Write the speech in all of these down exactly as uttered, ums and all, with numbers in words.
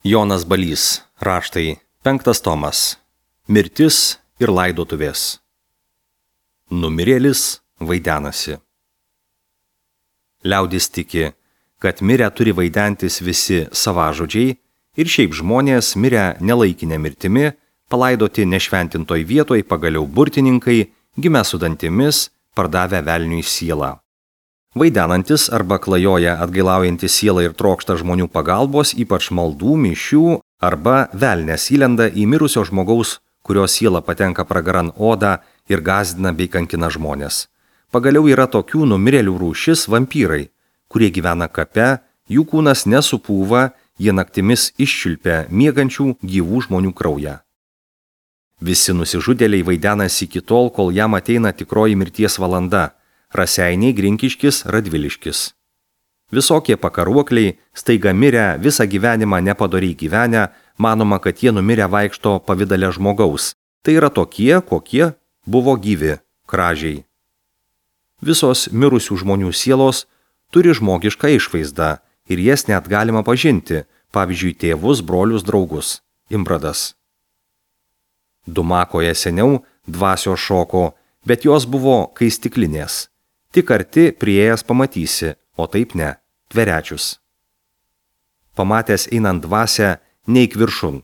Jonas Balys, raštai, penktas tomas. Mirtis ir laidotuvės. Numirėlis vaidenasi. Liaudis tiki, kad mirę turi vaidentis visi savažodžiai ir šiaip žmonės mirę nelaikinę mirtimi, palaidoti nešventintoj vietoj pagaliau burtininkai, gimę su dantimis, pardavę velniui sielą. Vaidenantis arba klajoja atgailaujantis sielą ir trokšta žmonių pagalbos, ypač maldų, mišių, arba velnias įlenda į mirusio žmogaus, kurio siela patenka pragaran odą ir gąsdina bei kankina žmonės. Pagaliau yra tokių numirėlių rūšis vampyrai, kurie gyvena kape, jų kūnas nesupūva, jie naktimis iščiulpia miegančių gyvų žmonių kraują. Visi nusižudėliai vaidenasi iki tol, kol jam ateina tikroji mirties valanda. Raseiniai, Grinkiškis, Radviliškis. Visokie pakaruokliai, staiga mirę, visą gyvenimą nepadoriai gyvenę, manoma, kad jie numirę vaikšto pavidale žmogaus. Tai yra tokie, kokie buvo gyvi, kražiai. Visos mirusių žmonių sielos turi žmogišką išvaizdą ir jas net galima pažinti, pavyzdžiui, tėvus, brolius, draugus. Imbradas. Dumakoje seniau dvasios šoko, bet jos buvo kai stiklinės. Tik arti prieėjęs pamatysi, o taip ne, tverečius. Pamatęs einant dvasią, neik viršun.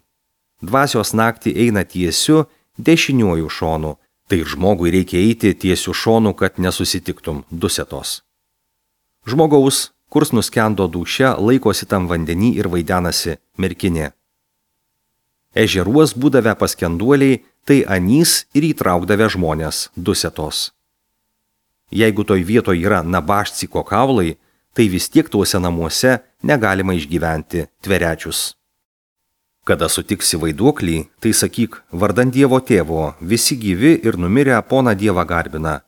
Dvasios naktį eina tiesiu, dešiniuoju šonu, tai žmogui reikia eiti tiesiu šonu, kad nesusitiktum, dusetos. Žmogaus, kurs nuskendo dūšia, laikosi tam vandenį ir vaidenasi merkinė. Ežeruos būdavę paskenduoliai, tai anys ir įtraukdavę žmonės, dusetos. Jeigu toj vietoj yra nabašciko kaulai, tai vis tiek tuose namuose negalima išgyventi, tverečius. Kada sutiksi vaiduoklį, tai sakyk, vardan Dievo tėvo, visi gyvi ir numirę poną Dievą garbina.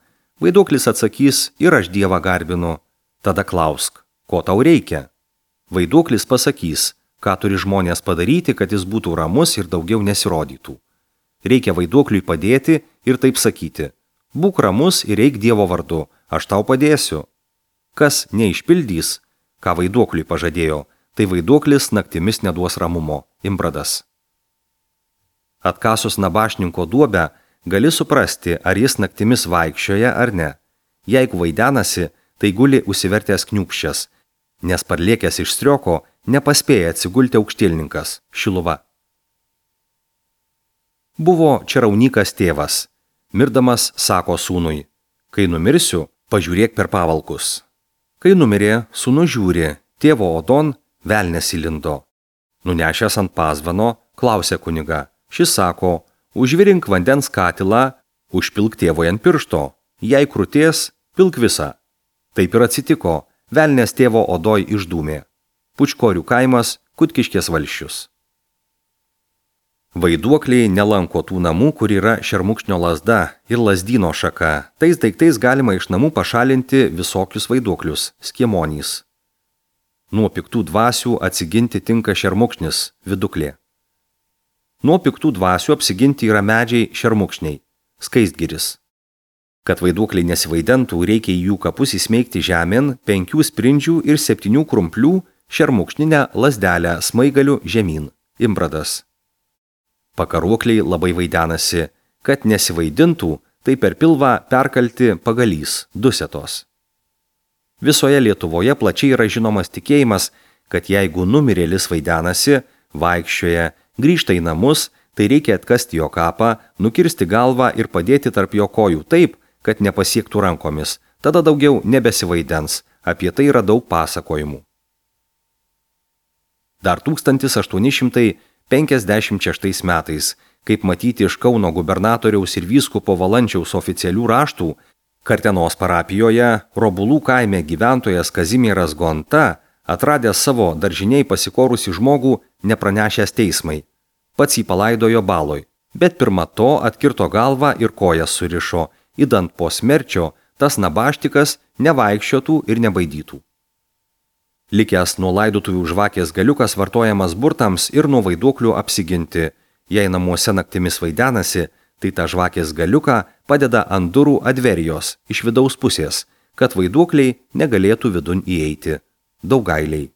Vaiduoklis atsakys, ir aš Dievą garbinu. Tada klausk, ko tau reikia? Vaiduoklis pasakys, ką turi žmonės padaryti, kad jis būtų ramus ir daugiau nesirodytų. Reikia vaiduokliui padėti ir taip sakyti, būk ramus ir eik Dievo vardu, aš tau padėsiu. Kas neišpildys, ką vaiduokliui pažadėjo, tai vaiduoklis naktimis neduos ramumo. Imbradas. Atkasus nabašninko duobę, gali suprasti, ar jis naktimis vaikščioja ar ne. Jeigu vaidenasi, tai guli užsivertęs kniūpščias, nes parlėkęs iš strioko nepaspėja atsigulti aukštielninkas, Šiluva. Buvo čaraunykas tėvas. Mirdamas sako sūnui, kai numirsiu, pažiūrėk per pavalkus. Kai numirė, sūnus žiūri, tėvo odon velnias įlindo. Nunešęs ant pazvano, klausė kuniga. Šis sako, užvirink vandens katilą, užpilk tėvui ant piršto, jei krūties, pilk visą. Taip ir atsitiko, velnias tėvo odoj išdūmė. Pučkorių kaimas, Kutkiškės valsčius. Vaiduokliai nelanko tų namų, kur yra šermukšnio lazda ir lazdyno šaka. Tais daiktais galima iš namų pašalinti visokius vaiduoklius, skiemonys. Nuo piktų dvasių atsiginti tinka šermukšnis, viduklė. Nuo piktų dvasių apsiginti yra medžiai šermukšniai, skaistgiris. Kad vaiduokliai nesivaidentų, reikia į jų kapus įsmeigti žemėn penkių sprindžių ir septynių krumplių šermukšninę lazdelę smaigaliu žemyn, imbradas. Pakaruokliai labai vaidenasi, kad nesivaidintų, tai per pilvą perkalti pagalys, dusetos. Visoje Lietuvoje plačiai yra žinomas tikėjimas, kad jeigu numirėlis vaidenasi, vaikščioja, grįžta į namus, tai reikia atkasti jo kapą, nukirsti galvą ir padėti tarp jo kojų taip, kad nepasiektų rankomis, tada daugiau nebesivaidens, apie tai yra daug pasakojimų. Dar tūkstantis aštuoni šimtai penkiasdešimt šeštais metais, kaip matyti iš Kauno gubernatoriaus ir vyskupo Valančiaus oficialių raštų, Kartenos parapijoje Robulų kaime gyventojas Kazimieras Gonta, atradęs savo daržiniai pasikorusi žmogų, nepranešęs teismai. Pats jį palaidojo baloj, bet pirma to atkirto galvą ir kojas surišo, idant po smerčio tas nabaštikas nevaikščiotų ir nebaidytų. Likęs nuo laidotuvių žvakės galiukas vartojamas burtams ir nuo vaiduoklių apsiginti. Jei namuose naktimis vaidenasi, tai tą žvakės galiuką padeda ant durų adverijos iš vidaus pusės, kad vaiduokliai negalėtų vidun įeiti. Daugailiai.